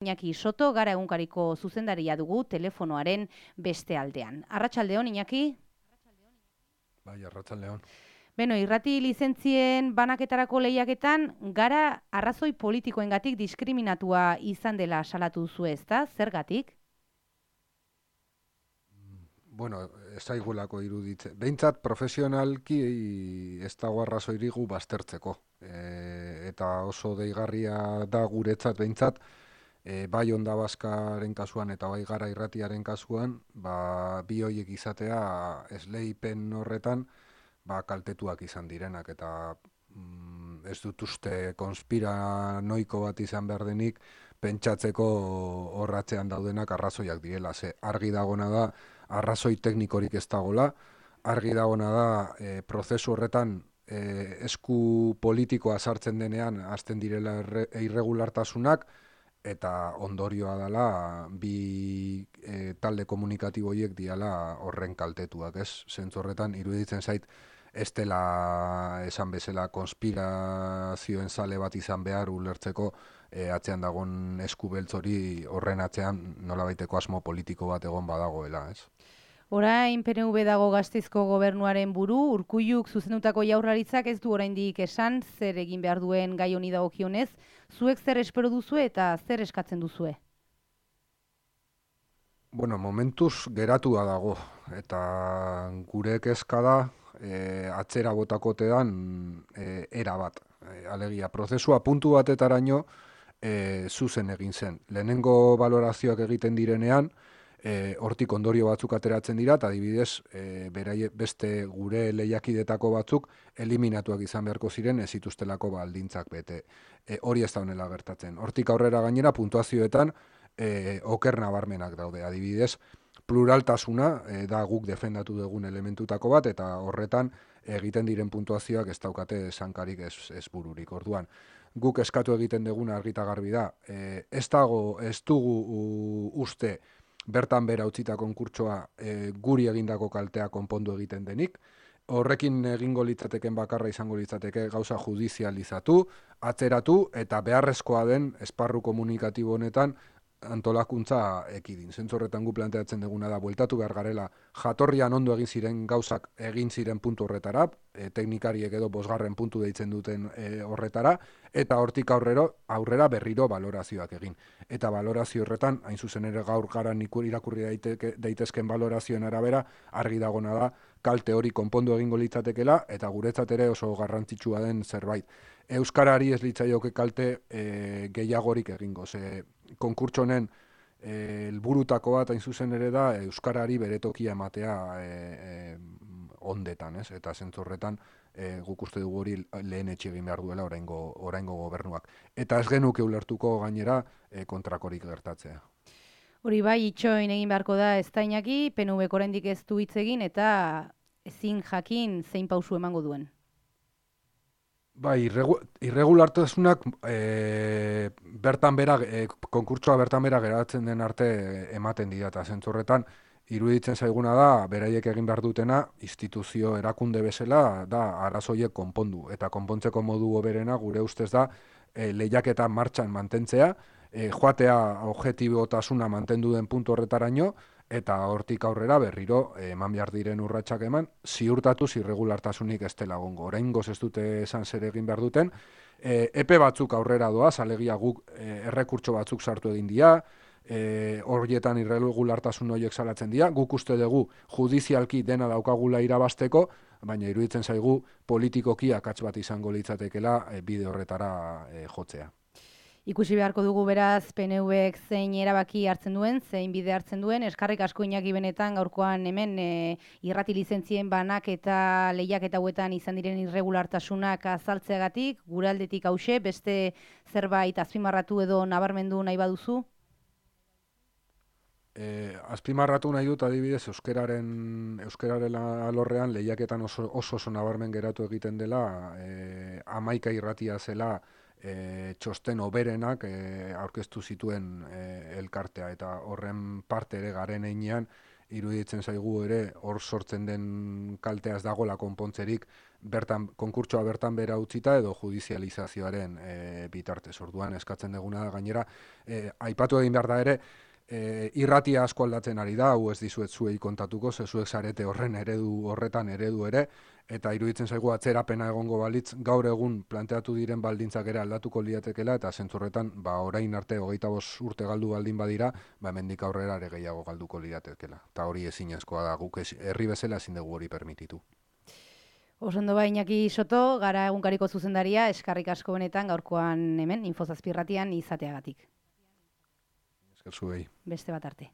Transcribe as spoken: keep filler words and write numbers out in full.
Iñaki Soto, Gara egunkariko zuzendaria dugu telefonoaren beste aldean. Arratsaldeon, Iñaki? Bai, arratsaldeon. Beno, irrati lizentzien banaketarako lehiaketan, Gara arrazoi politikoengatik diskriminatua izan dela salatu duzu, ezta? Zergatik? Bueno, ez zaigulako iruditzen. Behintzat profesionalki ez dago arrazoirik gu baztertzeko. E, eta oso deigarria da guretzat behintzat, e, bai Onda Baskaren kasuan eta bai Gara irratiaren kasuan, ba, bi horiek izatea esleipen horretan ba, kaltetuak izan direnak eta mm, ez dut uste konspiranoiko bat izan behar denik pentsatzeko horratzean daudenak arrazoiak direla. Ze argi dagona da arrazoi teknikorik ez dagola, argi dagona da e, prozesu horretan e, esku politikoa sartzen denean hasten direla erre, irregulartasunak, eta ondorioa dela bi e, talde komunikatibo horiek diala horren kaltetuak, ez? Zentzu horretan iruditzen zait ez dela esan bezala konspirazioen zale bat izan behar ulertzeko e, atzean dagon esku beltz hori horren atzean nolabaiteko asmo politiko bat egon badagoela, ez? Orain P N V dago Gasteizko gobernuaren buru, Urkulluk zuzendutako jaurlaritzak ez du oraindik esan zer egin behar duen gai honi dagokionez, zuek zer espero duzue eta zer eskatzen duzue? Bueno, momentuz geratua dago eta gure kezka da e, atzera botakotean e, era bat. E, alegia, prozesua puntu batetaraino e, zuzen egin zen. Lehenengo balorazioak egiten direnean, E, hortik ondorio batzuk ateratzen dira, eta adibidez e, beraie, beste gure lehiakidetako batzuk eliminatuak izan beharko ziren ez zituztelako baldintzak bete. E, hori ez da honela gertatzen. Hortik aurrera gainera puntuazioetan e, oker nabarmenak daude. Adibidez, pluraltasuna e, da guk defendatu dugun elementutako bat, eta horretan egiten diren puntuazioak ez daukate sankarik ez, ez bururik. Orduan, guk eskatu egiten duguna argita garbi da. E, ez dago, ez dugu u, uste bertan bera utzita konkurtsoa e, guri egindako kaltea konpondu egiten denik. Horrekin egingo litzateken bakarra izango litzateke gauza judizializatu, atzeratu eta beharrezkoa den esparru komunikatibo honetan antolakuntza ekidin. Zentzu horretan gu planteatzen duguna da, bueltatu behar garela jatorrian ondo egin ziren gauzak egin ziren puntu horretara, e, teknikariek edo bosgarren puntu deitzen duten e, horretara, eta hortik aurrero, aurrera berriro balorazioak egin. Eta balorazio horretan, hain zuzen ere gaur garan irakurri daiteke, daitezken balorazioen arabera, argi dagona da, kalte hori konpondu egingo litzatekela, eta guretzat ere oso garrantzitsua den zerbait. Euskarari ez litzaioke kalte e, gehiagorik egingo, ze konkurtso honen helburutako bat hain zuzen ere da euskarari bere tokia ematea e, e, ondetan, ez? Eta zentzu horretan e, guk uste dugu hori lehen etxe egin behar duela oraingo oraingo gobernuak. Eta ez genuke ulertuko gainera e, kontrakorik gertatzea. Hori bai, itxoin egin beharko da ez da Iñaki, P N Vk oraindik ez du hitz egin eta ezin jakin zein pausu emango duen. Bai, irregu, irregulartasunak e, bertan bera, e, konkurtsoa bertan bera geratzen den arte ematen dira, eta zentzu horretan iruditzen zaiguna da, beraiek egin behar dutena, instituzio erakunde bezala da arazoiek konpondu, eta konpontzeko modu hoberena gure ustez da e, lehiaketa martxan mantentzea, e, joatea objetibotasuna mantendu den puntu horretaraino, eta hortik aurrera berriro eman behar diren urratsak eman, ziurtatuz irregulartasunik ez dela egongo. Oraingoz ez dute esan zer egin behar duten, e, epe batzuk aurrera doaz, alegia guk e, errekurtso batzuk sartu egin dira, e, horietan irregulartasun horiek salatzen dira, guk uste dugu judizialki dena daukagula irabasteko, baina iruditzen zaigu politikoki akats bat izango litzatekela e, bide horretara e, jotzea. Ikusi beharko dugu beraz P N Vk zein erabaki hartzen duen, zein bide hartzen duen, eskarrik asko Iñaki benetan gaurkoan hemen e, irrati lizentzien banak eta lehiaketa hauetan izan diren irregulartasunak azaltzeagatik, gure aldetik hause, beste zerbait azpimarratu edo nabarmendu nahi baduzu? E, azpimarratu nahi dut adibidez euskararen euskararen alorrean lehiaketan oso oso, oso nabarmen geratu egiten dela, e, hamaika irratia zela E, txosten oberenak e, aurkeztu zituen e, elkartea, eta horren parte ere garen einean iruditzen zaigu ere hor sortzen den kalteaz dagoela konpontzerik bertan konkurtsoa bertan bera utzita edo judizializazioaren e, bitartez. Orduan eskatzen duguna da gainera e, aipatu egin behar da ere e, irratia asko aldatzen ari da, hau ez dizuet zuei kontatuko, ze zuek zarete horren eredu horretan eredu ere, eta iruditzen zaigu atzerapena egongo balitz gaur egun planteatu diren baldintzak ere aldatuko liatekela, eta zentzurretan ba, orain arte hogeita bost urte galdu baldin badira, ba, hemendik aurrera ere gehiago galduko liatekela. Eta hori ezinezkoa da, guk herri bezala ezin dugu hori permititu. Osondo ba, Iñaki Soto, gara egunkariko zuzendaria, eskarrik asko benetan gaurkoan hemen, Info zazpi irratian izateagatik. Esker zuei. Beste bat arte.